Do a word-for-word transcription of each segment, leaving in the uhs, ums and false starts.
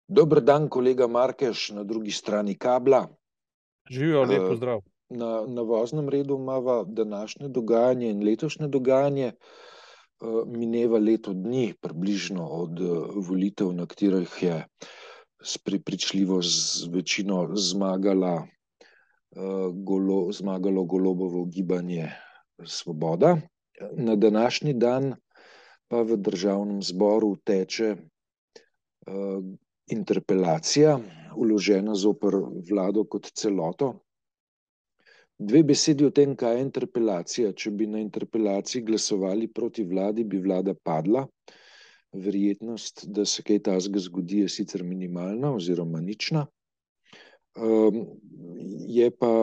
Dober dan, kolega Markeš, na drugi strani kabla. Živijo, lep Eh, pozdrav. Na, na voznem redu imava današnje dogajanje in letošnje dogajanje. Eh, Mineva leto dni, približno od eh, volitev, na katerih je s prepričljivo z večino zmagala, eh, golo, zmagalo Golobovo gibanje Svoboda. Na današnji dan pa v državnem zboru teče eh, interpelacija, vložena zoper vlado kot celoto. Dve besedi o tem, kaj je interpelacija. Če bi na interpelaciji glasovali proti vladi, bi vlada padla. Verjetnost, da se kaj takega zgodi, je sicer minimalna oziroma nična. Je pa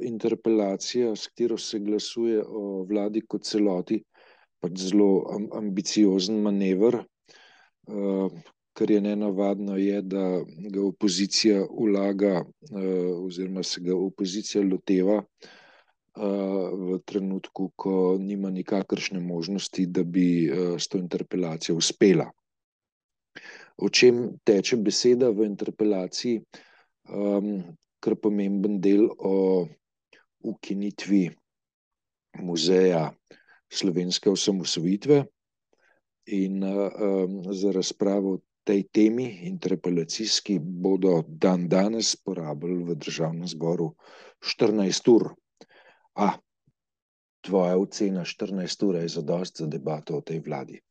interpelacija, s katero se glasuje o vladi kot celoti, pač zelo ambiciozen manever. Kar je nenavadno, je, da ga opozicija vlaga oziroma se ga opozicija loteva v trenutku, ko nima nikakršne možnosti, da bi s to interpelacijo uspela. O čem teče beseda v interpelaciji? Kar pomemben del o ukinitvi muzeja slovenske osamosvojitve in za razpravo tej temi interpelacijski bodo dan danes porabili v državnem zboru štirinajst ur. A, tvoja ocena štirinajst ur je zadosti za debato o tej vladi?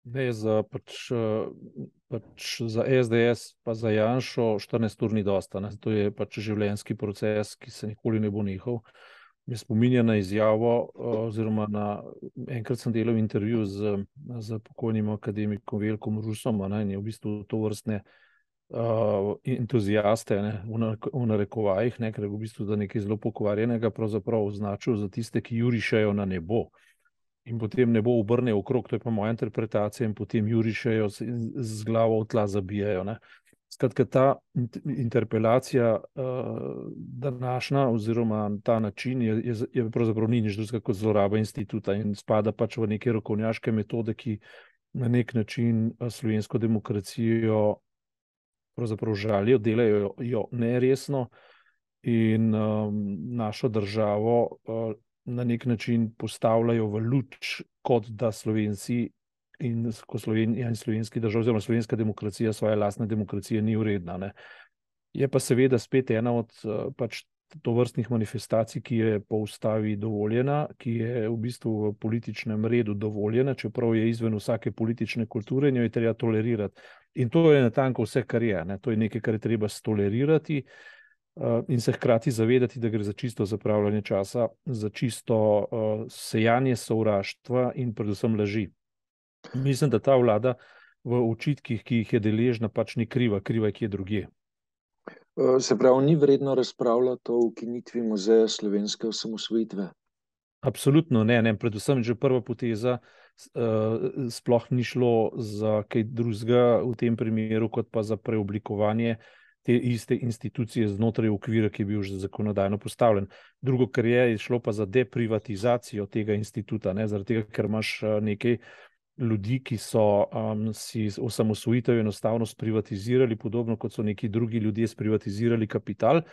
Ne, za, pač, pač za es de es pa za Janšo štirinajst ur ni dosta. Ne. To je pač življenjski proces, ki se nikoli ne bo nehal. Me spominja na izjavo, oziroma na enkrat sem delal intervju z, z pokojnim akademikom Veljkom Rusom, ne, in je v bistvu to vrstne uh, entuzijaste, ne, v narekovajih, ne, ker je v bistvu da nekaj zelo pokvarjenega pravzaprav označil za tiste, ki jurišajo na nebo. In potem nebo obrne okrog, to je pa moja interpretacija, in potem jurišajo z glavo v tla zabijajo. Ne. Skratka, ta interpelacija uh, današnja oziroma ta način je, je, je pravzaprav ni nič drugega kot zloraba instituta in spada pač v neke rokovnjaške metode, ki na nek način slovensko demokracijo pravzaprav žalijo, delajo jo neresno in um, našo državo uh, na nek način postavljajo v luč, kot da Slovenci in ko Slovenija in slovenski držav, oziroma slovenska demokracija svoje lastne demokracije ni uredna. Ne. Je pa seveda spet ena od pač tovrstnih manifestacij, ki je po ustavi dovoljena, ki je v bistvu v političnem redu dovoljena, čeprav je izven vsake politične kulture in jo je treba tolerirati. In to je natanko vse, kar je. Ne. To je nekaj, kar je treba stolerirati in se hkrati zavedati, da gre za čisto zapravljanje časa, za čisto uh, sejanje sovraštva in predvsem laži. Mislim, da ta vlada v očitkih, ki jih je deležna, pač ni kriva, kriva je kje drugje. Se pravi, ni vredno razpravljati o ukinitvi muzeja slovenske osamosvojitve? Absolutno ne, ne. Predvsem že prva poteza uh, sploh ni šlo za kaj drugega v tem primeru, kot pa za preoblikovanje te iste institucije znotraj okvira, ki je bil že zakonodajno postavljen. Drugo, kar je, je šlo pa za deprivatizacijo tega instituta, ne, zaradi tega, ker imaš nekaj ljudi, ki so um, si osamosvojitev enostavno sprivatizirali, podobno kot so neki drugi ljudje sprivatizirali kapital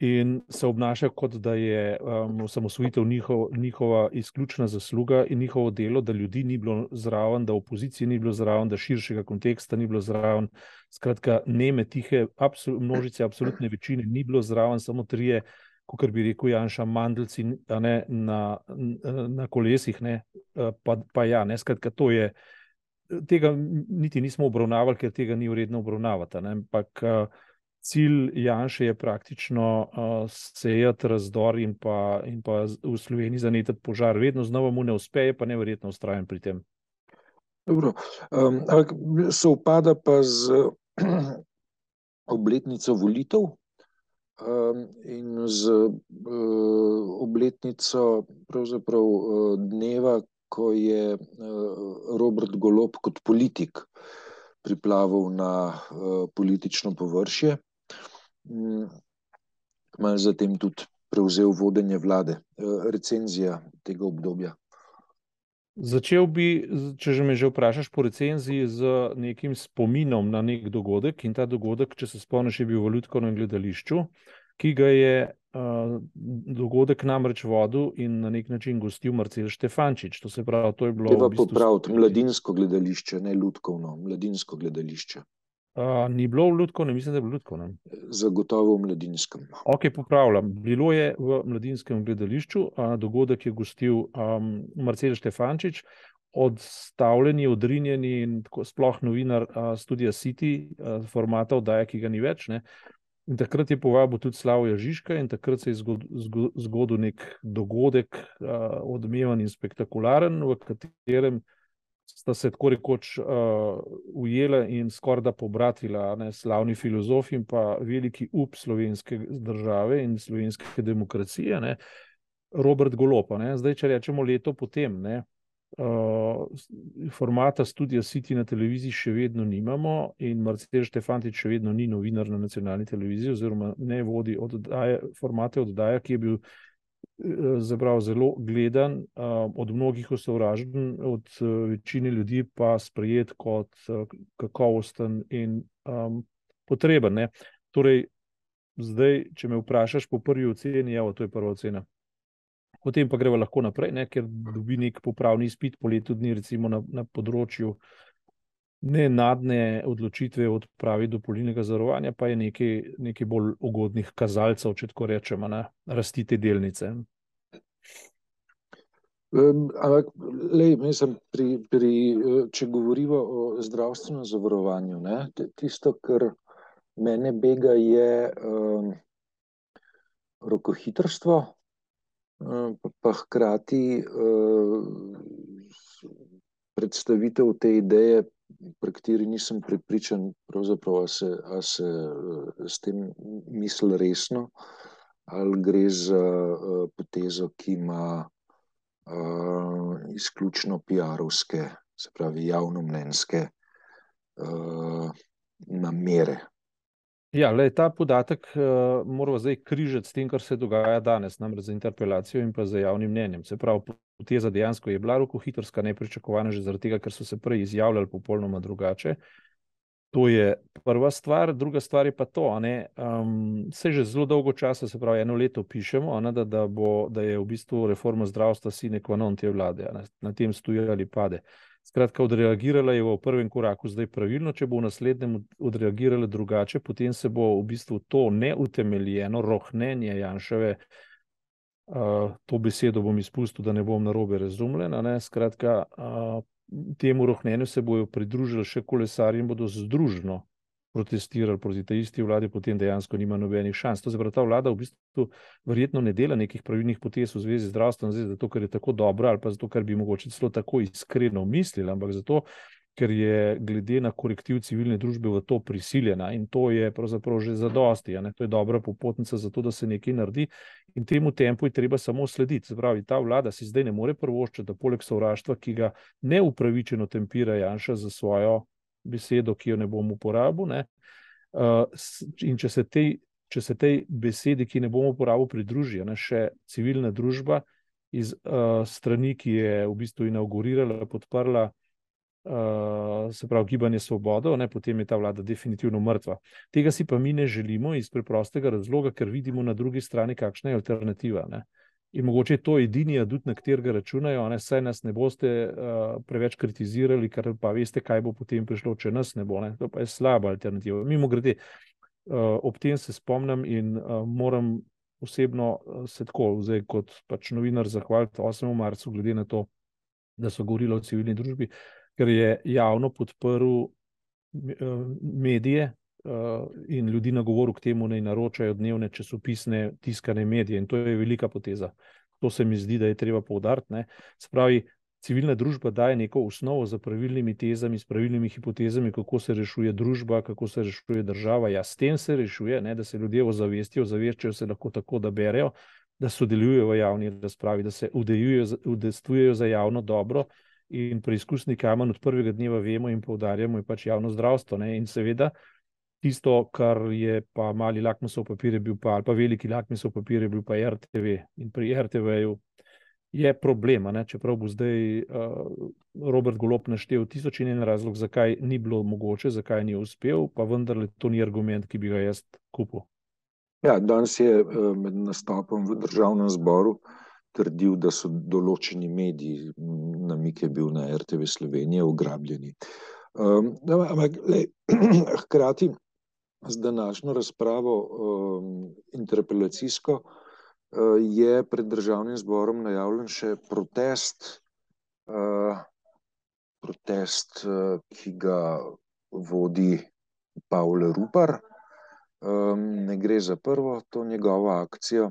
in se obnašajo, kot da je um, osamosvojitev njihov, njihova izključna zasluga in njihovo delo, da ljudi ni bilo zraven, da opozicije ni bilo zraven, da širšega konteksta ni bilo zraven. Skratka, neme, tihe absol množice, absolutne večine ni bilo zraven, samo trije, kakor bi rekel Janša, mandelci ne, na, na kolesih, ne, pa, pa ja, ne, skratka, to je, tega niti nismo obravnavali, ker tega ni vredno obravnavati, ne, ampak cilj Janše je praktično uh, sejati razdor in pa, in pa v Sloveniji zanetati požar. Vedno znova mu ne uspe, pa neverjetno vztrajen pri tem. Dobro, um, sovpada pa z obletnico volitev um, in z uh, obletnico pravzaprav uh, dneva, ko je uh, Robert Golob kot politik priplaval na uh, politično površje. Kmalu zatem tudi prevzel vodenje vlade. Recenzija tega obdobja. Začel bi, če že me že vprašaš po recenziji, z nekim spominom na nek dogodek in ta dogodek, če se spomniš, je bil v Lutkovnem gledališču, ki ga je uh, dogodek namreč vodil in na nek način gostil Marcel Štefančič. To se pravi, to je bilo Treba v bistvu... popraviti, mladinsko gledališče, ne Lutkovno, mladinsko gledališče. Uh, ni bilo v Lutkovnem, mislim, da je bilo v Lutkovnem. Zagotovo v mladinskem. Ok, popravljam. Bilo je v mladinskem gledališču, uh, dogodek je gostil um, Marcel Štefančič, odstavljeni, odrinjeni in tako sploh novinar uh, Studia City, uh, formata oddaje, ki ga ni več, ne. In takrat je povabil tudi Slavija Žižka in takrat se je zgodil, zgodil nek dogodek, uh, odmeven in spektakularen, v katerem sta se tako rekoč uh, ujela in skoraj da pobratila, ne, slavni filozof in pa veliki up slovenske države in slovenske demokracije, ne, Robert Golob. Ne. Zdaj, če rečemo leto potem, ne, uh, formata Studia City na televiziji še vedno nimamo in Marcel Štefančič še vedno ni novinar na nacionalni televiziji oziroma ne vodi oddaje, formate oddaje, ki je bil zaprav zelo gledan, od mnogih osovražen, od večine ljudi pa sprejet kot kakovosten in um, potreben. Ne. Torej, zdaj, če me vprašaš po prvi oceni, evo, to je prva ocena. Potem pa greva lahko naprej, ne, ker dobi nek popravni izpit po letu dni, recimo na, na področju nenadne odločitve od pravi dopolnilnega zavarovanja, pa je nekaj, nekaj bolj ugodnih kazalcev, če tako rečemo, na rasti te delnice. Um, ampak, lej, mislim, pri, pri, če govorimo o zdravstvenem zavarovanju, ne, tisto, kar mene bega, je um, rokohitrstvo, um, pa, pa hkrati um, predstavitev te ideje, pri kateri nisem prepričan, pravzaprav, a se, a se s tem misli resno, ali gre za uh, potezo, ki ima uh, izključno piarovske, se pravi javnomnenjske uh, namere. Ja, lej, ta podatek uh, moramo zdaj križati s tem, kar se dogaja danes, namreč za interpelacijo in pa za javnim mnenjem. Se pravi, poteza dejansko je bila rokohitrska, nepričakovana že zaradi tega, ker so se prej izjavljali popolnoma drugače. To je prva stvar. Druga stvar je pa to, a ne, um, se že zelo dolgo časa, se pravi eno leto pišemo, a ne, da, da, bo, da je v bistvu reforma zdravstva sine qua non te vlade, a ne, na tem stoji ali pade. Skratka, odreagirala je v prvem koraku zdaj pravilno, če bo v naslednjem odreagirala drugače, potem se bo v bistvu to neutemeljeno rohnenje Janševe, uh, to besedo bom izpustil, da ne bom narobe razumljen, a ne, skratka, uh, temu rohnenju se bojo pridružili še kolesarji in bodo združno protestirali proti tej isti vladi, potem dejansko nima nobenih šans. To se pravi, ta vlada v bistvu verjetno ne dela nekih pravilnih potez v zvezi z zdravstvom, zato ker je tako dobra ali pa zato, ker bi mogoče celo tako iskreno mislila, ampak zato, ker je glede na korektiv civilne družbe v to prisiljena in to je pravzaprav že zadosti, a ne? To je dobra popotnica za to, da se nekaj naredi in temu tempu je treba samo slediti. Se pravi, ta vlada si zdaj ne more privoščiti, da poleg sovraštva, ki ga neupravičeno tempira Janša za svojo besedo, ki jo ne bom uporabil, ne, uh, in če se, tej, če se tej besedi, ki ne bom uporabil, pridruži, ne, še civilna družba iz uh, strani, ki je v bistvu inaugurirala, podprla Uh, se pravi Gibanje Svobodo, ne, potem je ta vlada definitivno mrtva. Tega si pa mi ne želimo iz preprostega razloga, ker vidimo na drugi strani, kakšna je alternativa. Ne. In mogoče je to edini adut, na katerega računajo, ne, saj nas ne boste uh, preveč kritizirali, ker pa veste, kaj bo potem prišlo, če nas ne bo. Ne. To pa je slaba alternativa. Mimogrede, uh, ob tem se spomnim in uh, moram osebno uh, se tako, zdaj kot pač novinar zahvaliti osmemu marcu, glede na to, da so govorili o civilni družbi, ker je javno podprl medije in ljudi nagovoril k temu, naj naročajo dnevne časopisne tiskane medije in to je velika poteza. To se mi zdi, da je treba poudariti, ne. Se pravi, civilna družba daje neko osnovo za pravilnimi tezami, s pravilnimi hipotezami, kako se rešuje družba, kako se rešuje država. Ja, s tem se rešuje, ne, da se ljudje ozavestijo, ozaveščajo se lahko tako, da berejo, da sodelujejo v javni razpravi, da se udejstvujejo za javno dobro. In preizkusni kamen od prvega dneva vemo in poudarjamo je pač javno zdravstvo. Ne? In seveda tisto, kar je pa mali lakmusov papir je bil pa, ali pa veliki lakmusov papir je bil pa R T V. In pri R T V-ju je problem, a ne, čeprav bo zdaj uh, Robert Golob naštel tisoč in en razlog, zakaj ni bilo mogoče, zakaj ni uspel, pa vendarle to ni argument, ki bi ga jaz kupil. Ja, danes je uh, med nastopom v državnem zboru trdil, da so določeni mediji, namik je bil na R T V Slovenije, ugrabljeni. Um, ampak, lej, hkrati z današnjo razpravo um, interpelacijsko uh, je pred državnim zborom najavljen še protest, uh, protest, uh, ki ga vodi Pavle Rupar. Um, ne gre za prvo to njegovo akcijo,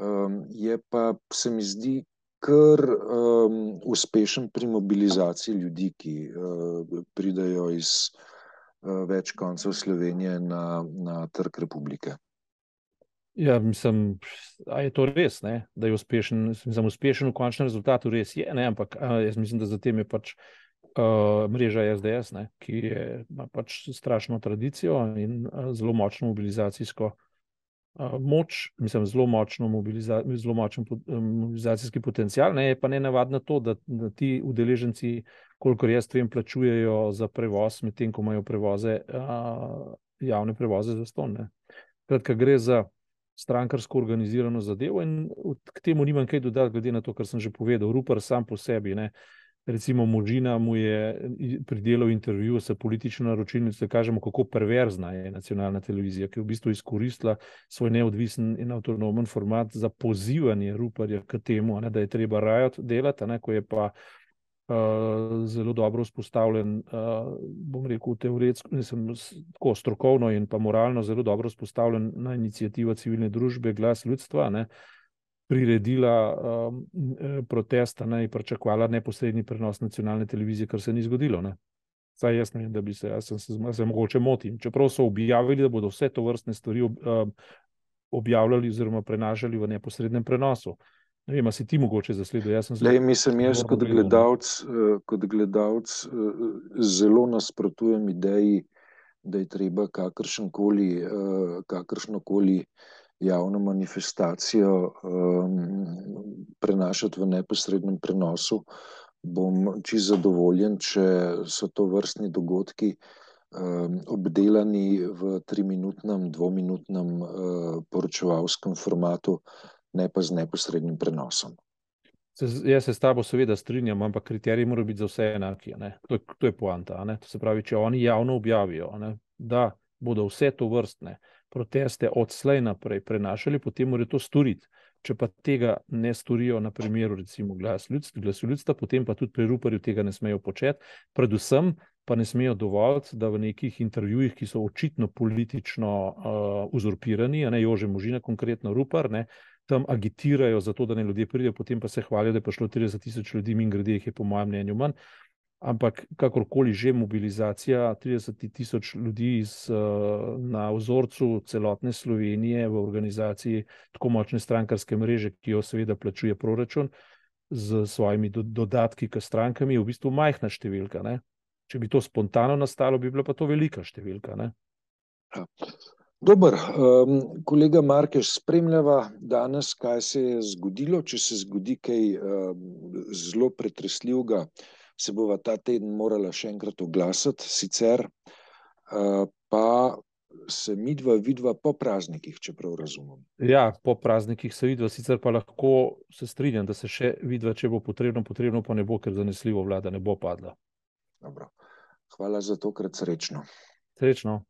um, je pa, se mi zdi, kar um, uspešen pri mobilizaciji ljudi, ki uh, pridajo iz uh, več koncev Slovenije na, na Trg Republike. Ja, mislim, a je to res, ne? Da je uspešen, mislim, uspešen v končnem rezultatu, res je, ne? Ampak a, jaz mislim, da za tem je pač Uh, mreža S D S, ne, ki je, ima pač strašno tradicijo in uh, zelo močno mobilizacijsko uh, moč, mislim, zelo močno mobiliza zelo močen po um, mobilizacijski potencial, ne, je pa nenavadno to, da, da ti udeleženci, kolikor jaz vem, plačujejo za prevoz, medtem ko imajo prevoze, uh, javne prevoze zastonj, ne. Kratka, gre za strankarsko organizirano zadevo in k temu nimam kaj dodati, glede na to, kar sem že povedal. Rupar sam po sebi, ne. Recimo Možina mu je pridelal intervju s politično naročilnico, da kažemo, kako perverzna je nacionalna televizija, ki je v bistvu izkoristila svoj neodvisen in avtonomen format za pozivanje Ruparja k temu, ne, da je treba rajot delati, ne, ko je pa uh, zelo dobro vzpostavljen, uh, bom rekel, teoretsko, nisem tako strokovno in pa moralno zelo dobro vzpostavljen na iniciativa civilne družbe Glas ljudstva, ne, priredila um, protesta, ne, in pričakovala neposredni prenos nacionalne televizije, kar se ni zgodilo. Ne. Saj jaz ne vem, da bi se, jaz sem se, se mogoče motim. Čeprav so objavili, da bodo vse to vrstne stvari ob, um, objavljali oziroma prenašali v neposrednem prenosu. Ne vem, a si ti mogoče zasledil? Jaz sem zelo... Lej, mislim, jaz kot gledalec, kot gledalec zelo nasprotujem ideji, da je treba kakršenkoli, kakršnokoli javno manifestacijo um, prenašati v neposrednem prenosu. Bom čisto zadovoljen, če so to vrstni dogodki um, obdelani v triminutnem, dvominutnem uh, poročevalskem formatu, ne pa z neposrednim prenosom. Se, jaz se s tabo seveda strinjam, ampak kriteriji morajo biti za vse enaki. Ne? To, to je poanta. Ne? To se pravi, če oni javno objavijo, ne? Da bodo vse to vrstne proteste odslej naprej prenašali, potem morajo to storiti. Če pa tega ne storijo na primeru recimo Glas ljudstva, Glasu ljudstva, potem pa tudi pri Ruparju tega ne smejo početi. Predvsem pa ne smejo dovoliti, da v nekih intervjujih, ki so očitno politično uh, uzurpirani, a ne Jože Možina, konkretno Rupar, ne, tam agitirajo za to, da ne ljudje pridejo, potem pa se hvalijo, da je prišlo trideset tisoč ljudi, mimogrede jih je po mojem mnenju manj. Ampak kakorkoli že mobilizacija trideset tisoč ljudi iz, na vzorcu celotne Slovenije v organizaciji tako močne strankarske mreže, ki jo seveda plačuje proračun z svojimi do, dodatki k strankam, je v bistvu majhna številka. Ne? Če bi to spontano nastalo, bi bila pa to velika številka. Ne? Dober, um, kolega Markeš, spremljava danes, kaj se je zgodilo. Če se zgodi kaj um, zelo pretresljivega, se bova ta teden morala še enkrat oglasiti, sicer uh, pa se midva vidva po praznikih, čeprav razumem. Ja, po praznikih se vidva, sicer pa lahko se strinjam, da se še vidva, če bo potrebno, potrebno pa ne bo, ker zanesljivo vlada ne bo padla. Dobro. Hvala za tokrat, srečno. Srečno.